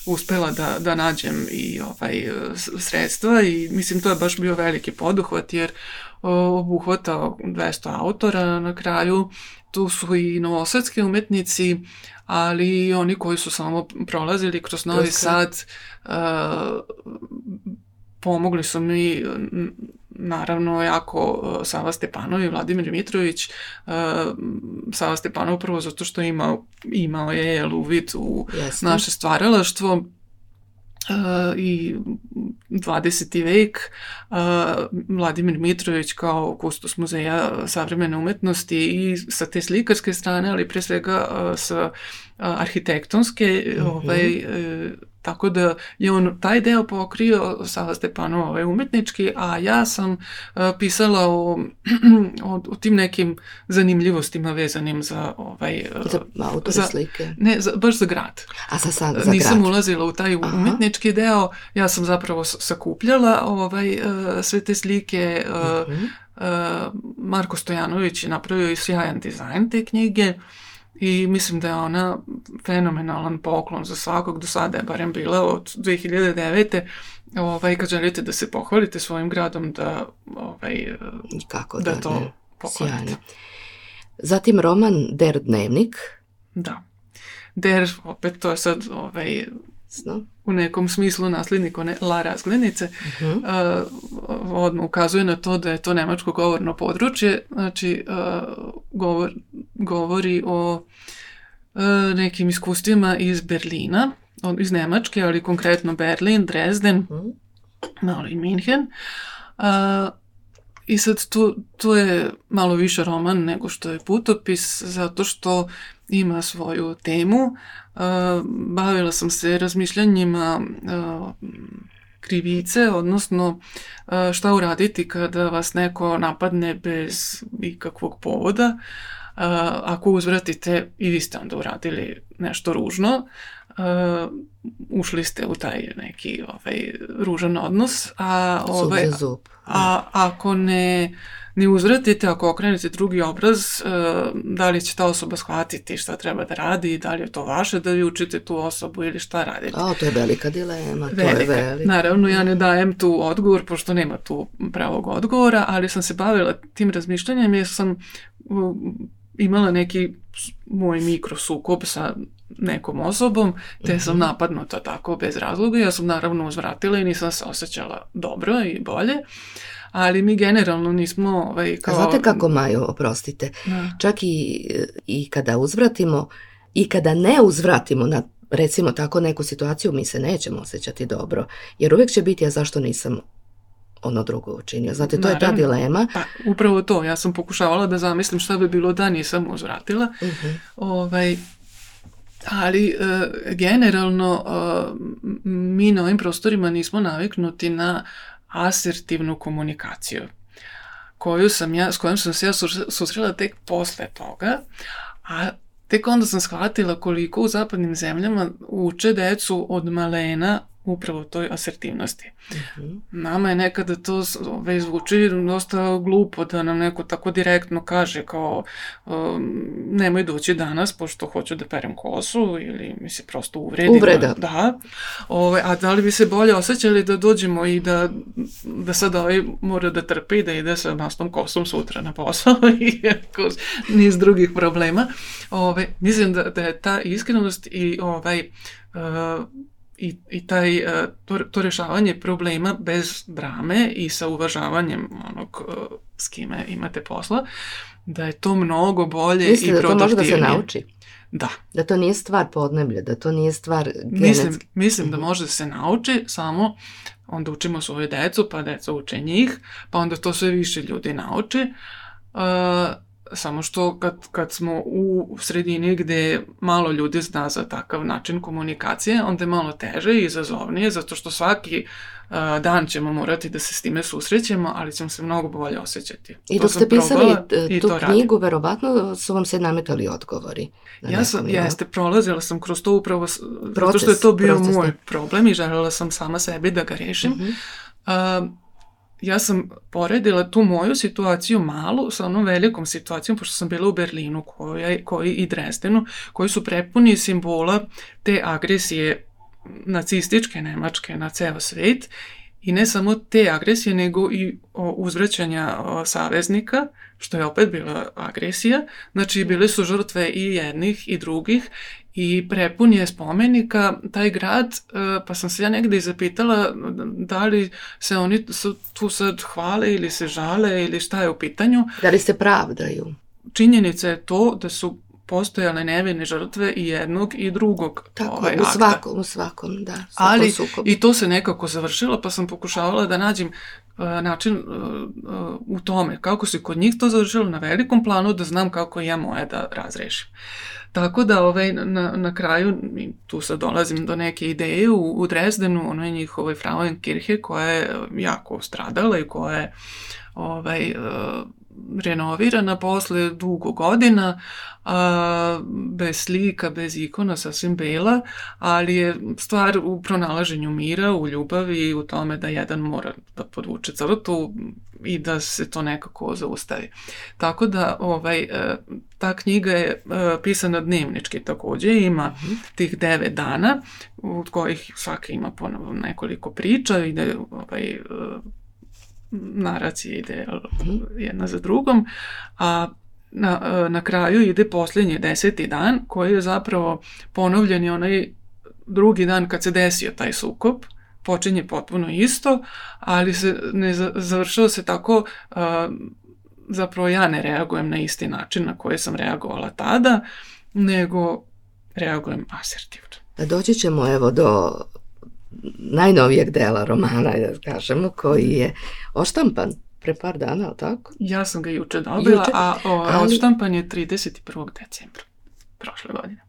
uspela da, da nađem i ovaj, sredstva i mislim to je baš bio veliki poduhvat jer obuhvatao dvesta autora na kraju. Tu su i novosadski umetnici, ali i oni koji su samo prolazili kroz Novi Sad, uh, pomogli su mi naravno jako uh, Sava Stepanov i Vladimir Mitrović. Uh, Sava Stepanov prvo zato što imao, imao je jel, uvid u Jasne. naše stvaralaštvo uh, i dvadeseti vek. Uh, Vladimir Mitrović kao kustos muzeja savremene umetnosti i sa te slikarske strane, ali pre svega uh, sa uh, arhitektonske, mm-hmm. ovaj, uh, tako da je on taj deo pokrio, Sava Stepanov ovaj umetnički, a ja sam uh, pisala o, o, o tim nekim zanimljivostima vezanim za ovaj... Uh, za autore za, slike? Ne, za, baš za grad. A za, za, za Nisam grad. ulazila u taj Aha. umetnički deo, ja sam zapravo sakupljala ovaj, uh, sve te slike. Uh, mm-hmm. uh, Marko Stojanović je napravio i sjajan dizajn te knjige. I mislim da je ona fenomenalan poklon za svakog, do sada je barem bila od dve hiljade devete. Ovaj, kad želite da se pohvalite svojim gradom, da, ovaj, Kako da, da to ne. pohvalite. Sjajno. Zatim roman Der Dnevnik. Da. Der, opet to je sad ovaj, Sno. u nekom smislu nasljednik one La razglednice. Uh-huh. Uh, odmah ukazuje na to da je to nemačko govorno područje. Znači, uh, govor, govori o uh, nekim iskustvima iz Berlina iz Nemačke, ali konkretno Berlin, Dresden, mm. malo i Minhen. A, I sad tu, tu je malo više roman nego što je putopis, zato što ima svoju temu. A, bavila sam se razmišljanjima a, krivice, odnosno a, šta uraditi kada vas neko napadne bez ikakvog povoda. A, ako uzvratite i vi ste onda uradili nešto ružno, Uh, ušli ste u taj neki ovaj, ružan odnos, a, ovaj, a ako ne, ne uzvratite, ako okrenete drugi obraz, uh, da li će ta osoba shvatiti šta treba da radi, da li je to vaše da vi učite tu osobu ili šta radite. A, to je velika dilema. Velika. To je velika. Naravno, ja ne dajem tu odgovor, pošto nema tu pravog odgovora, ali sam se bavila tim razmišljanjem jer sam uh, imala neki moj mikrosukob sa nekom osobom, te sam napadnuta tako bez razloga. Ja sam naravno uzvratila i nisam se osjećala dobro i bolje, ali mi generalno nismo... Ovaj, kao... A znate kako, Majo, oprostite, da. Čak i, i kada uzvratimo i kada ne uzvratimo na, recimo tako, neku situaciju, mi se nećemo osjećati dobro, jer uvijek će biti, a zašto nisam ono drugo učinio. Znate, to Naravno. Je ta dilema. Pa, upravo to. Ja sam pokušavala da zamislim šta bi bilo da nisam uzvratila. Uh-huh. Ovaj, ali e, generalno e, mi na ovim prostorima nismo naviknuti na asertivnu komunikaciju, koju sam ja, s kojom sam se ja susrela tek posle toga, a tek onda sam shvatila koliko u zapadnim zemljama uče decu od malena upravo toj asertivnosti. Uh-huh. Nama je nekada to već zvuči dosta glupo da nam neko tako direktno kaže kao um, nemoj doći danas pošto hoću da perem kosu ili mi se prosto uvredi. Uvreda. Da. Ove, a da li bi se bolje osjećali da dođemo i da, da sad ovaj mora da trpi i da ide sa masnom kosom sutra na posao i niz drugih problema. Ove, mislim da, da je ta iskrenost i ovaj uh, I, i taj, to, to rješavanje problema bez drame i sa uvažavanjem onog s kime imate posla, da je to mnogo bolje Mislite i produktivnije. Mislite da to može da se nauči? Da. Da to nije stvar podneblja, da to nije stvar genetski? Mislim, mislim da može da se nauči, samo onda učimo svoje decu, pa deca uče njih, pa onda to sve više ljudi nauči. Uh, Samo što kad, kad smo u sredini gde malo ljudi zna za takav način komunikacije, onda je malo teže i izazovnije, zato što svaki uh, dan ćemo morati da se s time susrećemo, ali ćemo se mnogo bolje osjećati. I dok ste pisali tu knjigu, verovatno su vam se nametali odgovori. Ja sam, jeste, prolazila sam kroz to upravo, proces, zato što je to bio proces, moj problem i željela sam sama sebi da ga rešim. Uh-huh. Uh, Ja sam poredila tu moju situaciju malu sa onom velikom situacijom, pošto sam bila u Berlinu koja, koji i Dresdenu, koji su prepuni simbola te agresije nacističke Nemačke na ceo svet. I ne samo te agresije, nego i uzvraćanja saveznika, što je opet bila agresija. Znači, bile su žrtve i jednih i drugih i prepun je spomenika taj grad, pa sam se ja negdje zapitala da li se oni tu sad hvale ili se žale ili šta je u pitanju. Da li se pravdaju? Činjenica je to da su postojale nevine žrtve i jednog i drugog. Tako, ovaj, u svakom, u svakom, da. Ali sukobu. I to se nekako završilo, pa sam pokušavala da nađem uh, način uh, uh, u tome, kako se kod njih to završilo na velikom planu, da znam kako ja moje da razrešim. Tako da ovaj, na, na kraju, tu sad dolazim do neke ideje, u, u Dresdenu, ono je njihovoj Frauenkirche koja je jako stradala i koja je ovaj, uh, renovirana posle dugo godina, a, bez slika, bez ikona, sasvim bela, ali je stvar u pronalaženju mira, u ljubavi i u tome da jedan mora da podvuče crtu i da se to nekako zaustavi. Tako da ovaj, ta knjiga je pisana dnevnički također, ima tih devet dana, od kojih svaki ima ponovo nekoliko priča, ide ovaj, naracija ide jedna za drugom, a na, na kraju ide posljednji deseti dan koji je zapravo ponovljen je onaj drugi dan kad se desio taj sukob, počinje potpuno isto, ali se ne završava se tako, a, zapravo ja ne reagujem na isti način na koji sam reagovala tada, nego reagujem asertivno. Doći ćemo evo do najnovijeg dela romana, da kažemo, koji je oštampan pre par dana, ali tako? Ja sam ga juče dobila, juče, a o, ali... odštampan je trideset prvog decembra prošle godine.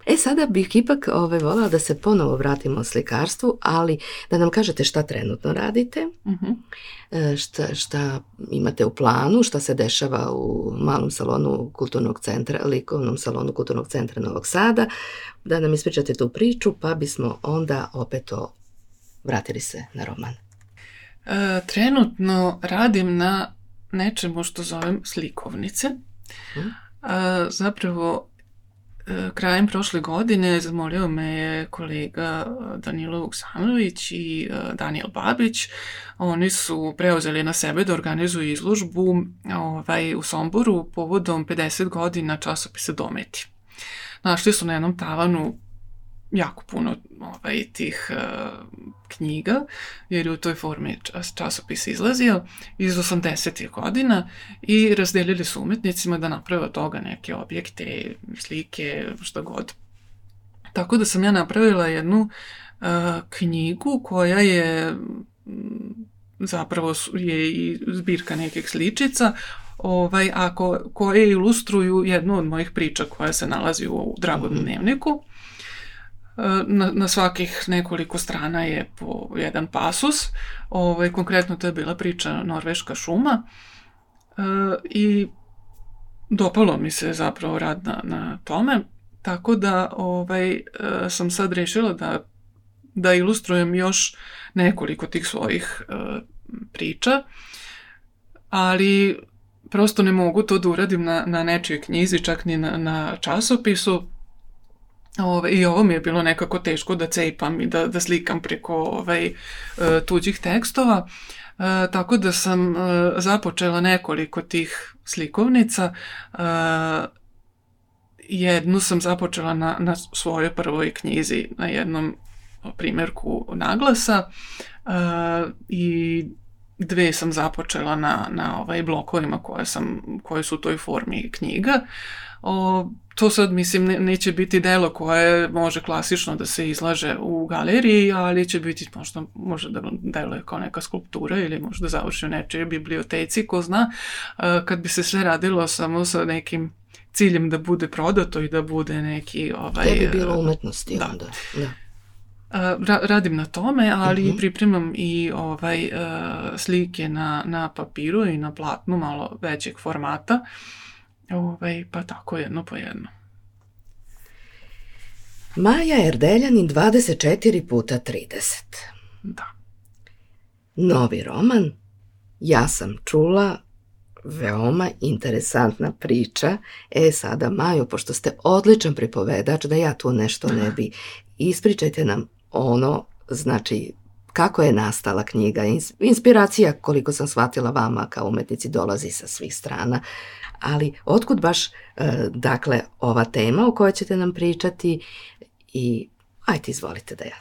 E, sada bih ipak ove, volala da se ponovo vratimo slikarstvu, ali da nam kažete šta trenutno radite, uh-huh. šta, šta imate u planu, šta se dešava u malom salonu kulturnog centra, likovnom salonu kulturnog centra Novog Sada, da nam ispričate tu priču, pa bismo onda opet o, vratili se na roman. E, trenutno radim na nečemu što zovem slikovnice. Hmm. E, zapravo, e, krajem prošle godine zamolio me je kolega Danilo Vuksanović i e, Daniel Babić. Oni su preuzeli na sebe da organizuju izložbu ovaj, u Somboru povodom pedeset godina časopisa Dometi. Našli su na jednom tavanu jako puno ovaj, tih uh, knjiga, jer je u toj formi čas, časopis izlazio iz osamdesetih godina i razdelili su umetnicima da naprave od toga neke objekte, slike, što god. Tako da sam ja napravila jednu uh, knjigu koja je zapravo je i zbirka nekih sličica, ovaj, a ko, koje ilustruju jednu od mojih priča koja se nalazi u Dragom dnevniku. Na, na svakih nekoliko strana je po jedan pasus. Ovaj, konkretno to je bila priča Norveška šuma e, i dopalo mi se zapravo rad na, na tome, tako da ovaj, e, sam sad rešila da, da ilustrujem još nekoliko tih svojih e, priča, ali prosto ne mogu to da uradim na, na nečijoj knjizi, čak ni na, na časopisu. Ove, I ovo mi je bilo nekako teško da cepam i da, da slikam preko ovaj, tuđih tekstova, e, tako da sam e, započela nekoliko tih slikovnica. E, jednu sam započela na, na svojoj prvoj knjizi, na jednom primjerku naglasa e, i dve sam započela na, na ovaj blokovima koje, sam, koje su u toj formi knjiga. O, to sad, mislim, ne, neće biti delo koje može klasično da se izlaže u galeriji, ali će biti možda, možda da deluje kao neka skulptura ili možda završi u nečijoj biblioteci, ko zna, kad bi se sve radilo samo sa nekim ciljem da bude prodato i da bude neki... Ovaj, to bi bilo umetnosti da. Onda. Da. Ra, radim na tome, ali uh-huh. pripremam i ovaj, slike na, na papiru i na platnu malo većeg formata. Ovaj, pa tako jedno po jedno. Maja Erdeljanin dvadeset četiri puta trideset. Da. Novi roman. Ja sam čula, veoma interesantna priča. E sada, Majo, pošto ste odličan pripovedač, da ja tu nešto ne bi, ispričajte nam ono, znači, kako je nastala knjiga. Inspiracija, koliko sam shvatila, vama kao umetnici dolazi sa svih strana. Ali otkud baš, dakle, ova tema o kojoj ćete nam pričati i ajte, izvolite da ja.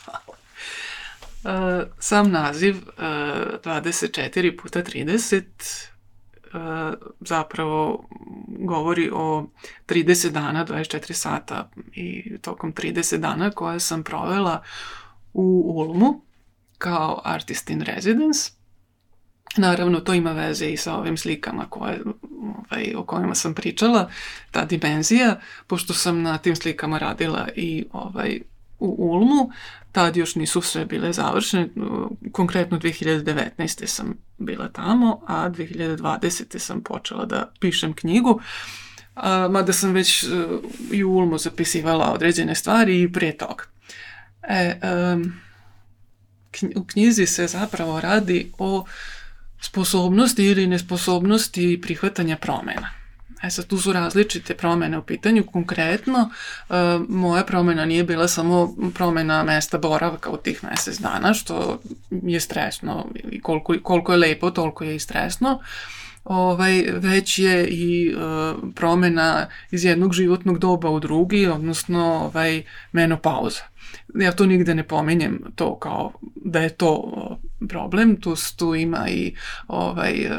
Hvala. Uh, sam naziv uh, dvadeset četiri puta trideset uh, zapravo govori o trideset dana, dvadeset četiri sata i tokom trideset dana koje sam provela u Ulmu kao artist in residence. Naravno, to ima veze i sa ovim slikama koje, ovaj, o kojima sam pričala, ta dimenzija, pošto sam na tim slikama radila i ovaj, u Ulmu, tad još nisu sve bile završene, konkretno dve hiljade devetnaeste. sam bila tamo, a dve hiljade dvadesete. sam počela da pišem knjigu, a, mada sam već i u Ulmu zapisivala određene stvari i prije toga. E, um, u knjizi se zapravo radi o sposobnosti ili nesposobnosti prihvatanja promjena. E sad, tu su različite promjene u pitanju. Konkretno, e, moja promjena nije bila samo promjena mesta boravka u tih mjesec dana, što je stresno i koliko, koliko je lepo, toliko je i stresno. Ovaj, već je i e, promjena iz jednog životnog doba u drugi, odnosno ovaj, menopauza. Ja to nigde ne pominjem to kao da je to problem, tu, tu ima i ovaj,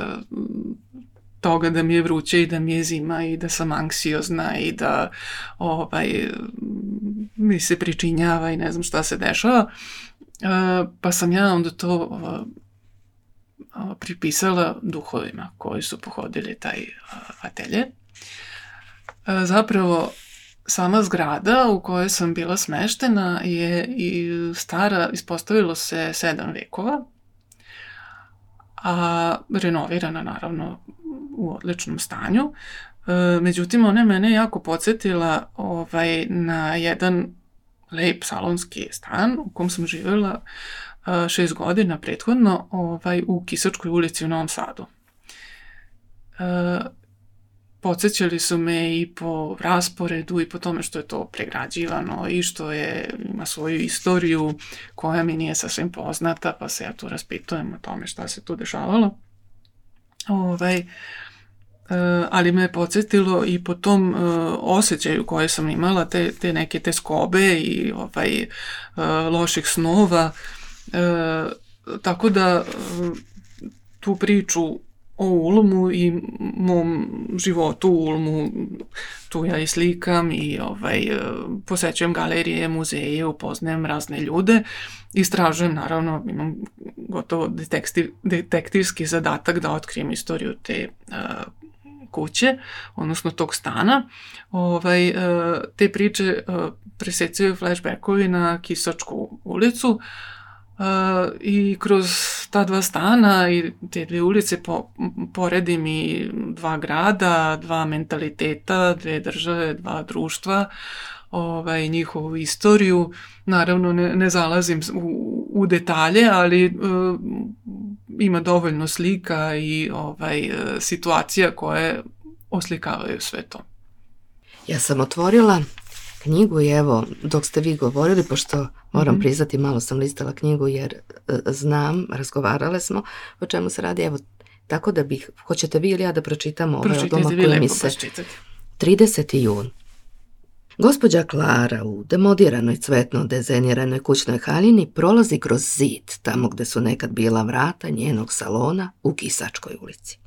toga da mi je vruće i da mi je zima i da sam anksiozna i da ovaj, mi se pričinjava i ne znam šta se dešava. Pa sam ja onda to pripisala duhovima koji su pohodili taj atelje. Zapravo, sama zgrada u kojoj sam bila smeštena je i stara, ispostavilo se sedam vekova, a renovirana naravno u odličnom stanju. Međutim, ona je mene jako podsjetila ovaj, na jedan lep salonski stan u kom sam živjela šest godina prethodno ovaj, u Kisačkoj ulici u Novom Sadu. Podsjećali su me i po rasporedu i po tome što je to pregrađivano i što je, ima svoju istoriju koja mi nije sasvim poznata, pa se ja tu raspitujem o tome šta se tu dešavalo. Ovaj, ali me je podsjetilo i po tom osjećaju koje sam imala, te, te neke te skobe i ovaj, loših snova. Tako da tu priču o Ulmu i mom životu u Ulmu, tu ja i slikam i ovaj, posećujem galerije, muzeje, upoznajem razne ljude, istražujem, naravno, imam gotovo detektiv, detektivski zadatak da otkrijem istoriju te uh, kuće, odnosno tog stana. Ovaj, uh, te priče uh, presecaju flashbackovi na Kisačku ulicu, Uh, i kroz ta dva stana i te dve ulice po, poredim i dva grada, dva mentaliteta, dve države, dva društva, ovaj, njihovu istoriju. Naravno ne, ne zalazim u, u detalje, ali uh, ima dovoljno slika i ovaj, situacija koje oslikavaju sve to. Ja sam otvorila knjigu i evo, dok ste vi govorili, pošto moram mm-hmm. priznati, malo sam listala knjigu jer e, znam, razgovarale smo o čemu se radi, evo, tako da bih, hoćete vi ili ja da pročitamo ovaj odlomak koji mi se... trideseti jun. Gospođa Klara u demodiranoj cvetno dezeniranoj kućnoj haljini prolazi kroz zid, tamo gde su nekad bila vrata njenog salona u Kisačkoj ulici.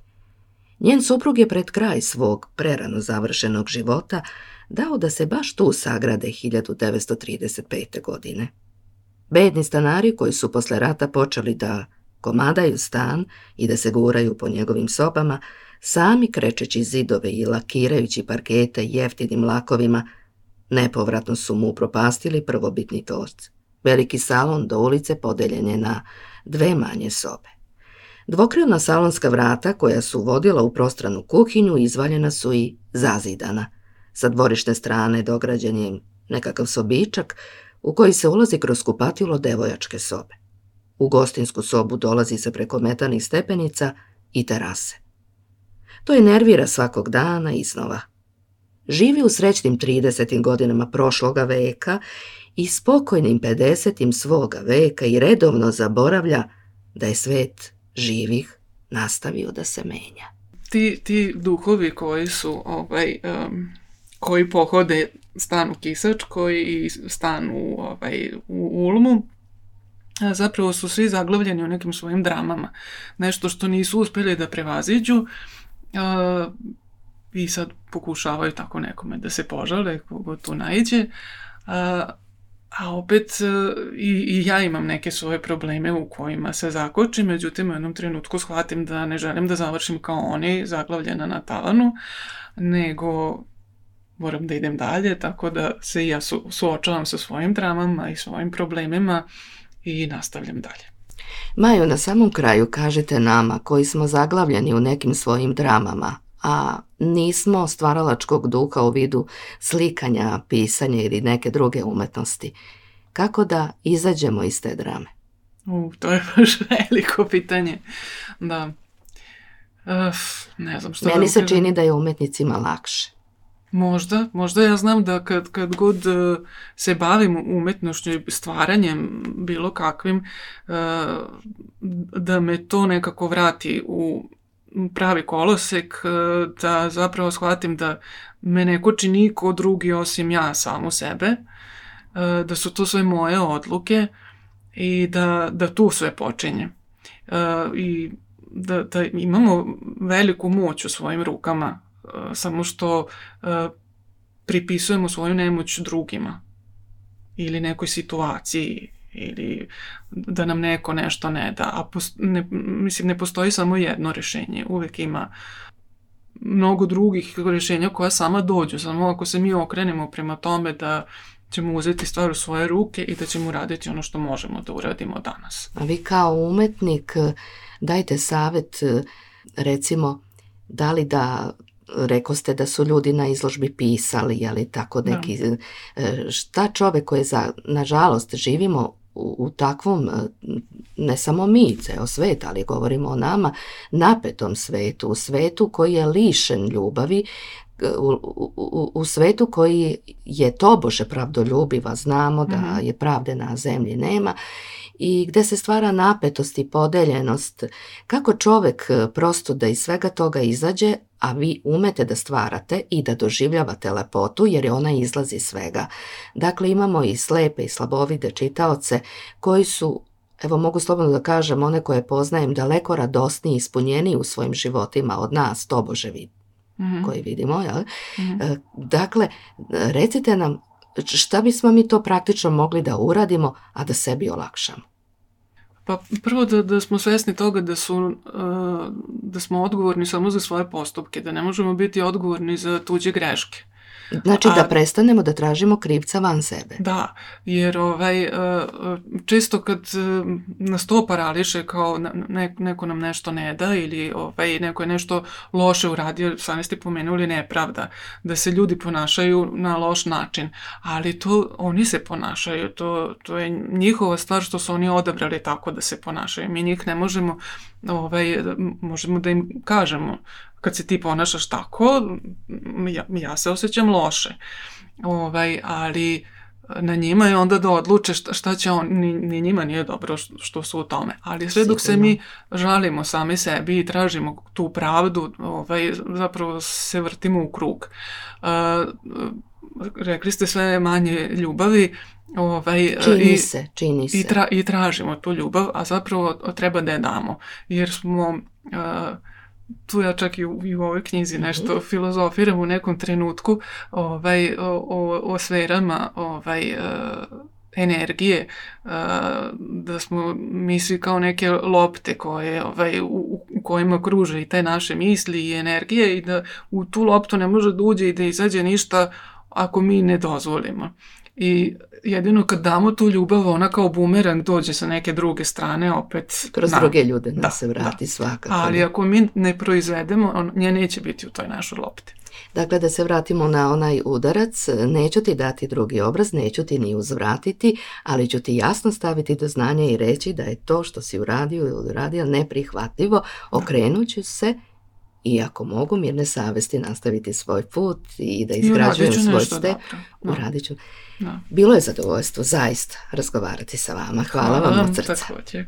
Njen suprug je pred kraj svog prerano završenog života dao da se baš tu sagrade hiljadu devetsto trideset pete. godine. Bedni stanari koji su posle rata počeli da komadaju stan i da se guraju po njegovim sobama, sami krečeći zidove i lakirajući parkete jeftinim lakovima, nepovratno su mu upropastili prvobitni torc. Veliki salon do ulice podeljen je na dve manje sobe. Dvokrilna salonska vrata koja su vodila u prostranu kuhinju izvaljena su i zazidana. Sa dvorišne strane dograđen je nekakav sobičak u koji se ulazi kroz kupatilo devojačke sobe. U gostinsku sobu dolazi se preko metanih stepenica i terase. To je nervira svakog dana iznova. Živi u srećnim tridesetim godinama prošloga veka i spokojnim pedesetim svoga veka i redovno zaboravlja da je svet živih nastavio da se menja. Ti, ti duhovi koji su ovaj, um, koji pohode stan u Kisačkoj i stan u, ovaj, u Ulmu, zapravo su svi zaglavljeni u nekim svojim dramama. Nešto što nisu uspjeli da prevaziđu uh, i sad pokušavaju tako nekome da se požale kogo tu naiđe. Uh, a opet uh, i, i ja imam neke svoje probleme u kojima se zakočim, međutim u jednom trenutku shvatim da ne želim da završim kao oni, zaglavljena na tavanu, nego moram da idem dalje, tako da se i ja su, suočavam sa svojim dramama i svojim problemima i nastavljam dalje. Maju, na samom kraju kažete nama koji smo zaglavljeni u nekim svojim dramama, a nismo stvaralačkog duha u vidu slikanja, pisanja ili neke druge umetnosti. Kako da izađemo iz te drame? U, to je baš veliko pitanje. Da. Uf, ne znam što Meni da se kažem. čini da je umetnicima lakše. Možda, možda ja znam da kad, kad god uh, se bavim umetnošću i stvaranjem bilo kakvim, uh, da me to nekako vrati u pravi kolosek, uh, da zapravo shvatim da me ne koči niko drugi osim ja samu sebe, uh, da su to sve moje odluke i da, da tu sve počinje. Uh, I da, da imamo veliku moć u svojim rukama, samo što uh, pripisujemo svoju nemoć drugima. ili nekoj situaciji ili da nam neko nešto ne da. A post, ne, mislim, ne postoji samo jedno rješenje. Uvijek ima mnogo drugih rješenja koja sama dođu. Samo ako se mi okrenemo prema tome da ćemo uzeti stvar u svoje ruke i da ćemo uraditi ono što možemo da uradimo danas. A vi kao umetnik dajte savjet, recimo, da li da, reko ste da su ljudi na izložbi pisali, ali tako neki, da. Šta čovjek koji za, nažalost, živimo u, u takvom, ne samo mi, ceo svet, ali govorimo o nama, napetom svetu, u svetu koji je lišen ljubavi, U, u, u svetu koji je tobože pravdoljubiva, znamo da mm-hmm. je pravde na zemlji nema i gde se stvara napetost i podeljenost. Kako čovjek prosto da iz svega toga izađe, a vi umete da stvarate i da doživljavate lepotu jer je ona izlazi iz svega. Dakle, imamo i slepe i slabovide čitaoce koji su, evo mogu slobodno da kažem, one koje poznajem daleko radosniji i ispunjeniji u svojim životima od nas, tobože vidi. Mm-hmm. koji vidimo, jel? Mm-hmm. Dakle, recite nam šta bismo mi to praktično mogli da uradimo, a da sebi olakšamo? Pa prvo da, da smo svjesni toga da, su, da smo odgovorni samo za svoje postupke, da ne možemo biti odgovorni za tuđe greške. Znači da prestanemo da tražimo krivca van sebe. Da, jer ovaj, čisto kad nas to parališe kao ne, neko nam nešto ne da ili ovaj, neko je nešto loše uradio, sami ste pomenuli nepravda, da se ljudi ponašaju na loš način, ali to oni se ponašaju, to, to je njihova stvar što su oni odabrali tako da se ponašaju. Mi njih ne možemo, ovaj, možemo da im kažemo kad se ti ponašaš tako, ja, ja se osjećam loše. Ovaj, ali na njima je onda da odluče šta, šta će on, ni, ni njima nije dobro što, što su u tome. Ali sve dok se mi žalimo sami sebi i tražimo tu pravdu, ovaj, zapravo se vrtimo u krug. Uh, rekli ste sve manje ljubavi, Ovaj, čini i, se, čini se. I, tra, I tražimo tu ljubav, a zapravo treba da je damo. Jer smo... Uh, tu ja čak i u, i u ovoj knjizi nešto mm-hmm. filozofiram u nekom trenutku ovaj, o, o, o sferama ovaj, uh, energije, uh, da smo mi svi kao neke lopte koje, ovaj, u, u kojima kruže i te naše misli i energije i da u tu loptu ne može da uđe i da izađe ništa ako mi ne dozvolimo. I jedino kad damo tu ljubav, ona kao bumerang dođe sa neke druge strane opet. Kroz na, druge ljude da, se vrati da. svakako. Ali ako mi ne proizvedemo, on, nje neće biti u toj našoj lopti. Dakle, da se vratimo na onaj udarac, neću ti dati drugi obraz, neću ti ni uzvratiti, ali ću ti jasno staviti do znanja i reći da je to što si uradio ili uradio neprihvatljivo, okrenut ću se i ako mogu mirne savesti nastaviti svoj put i da izgrađujem svoj step, uradit ću. Da. Bilo je zadovoljstvo zaista razgovarati sa vama. Hvala, Hvala vam od srca. Također.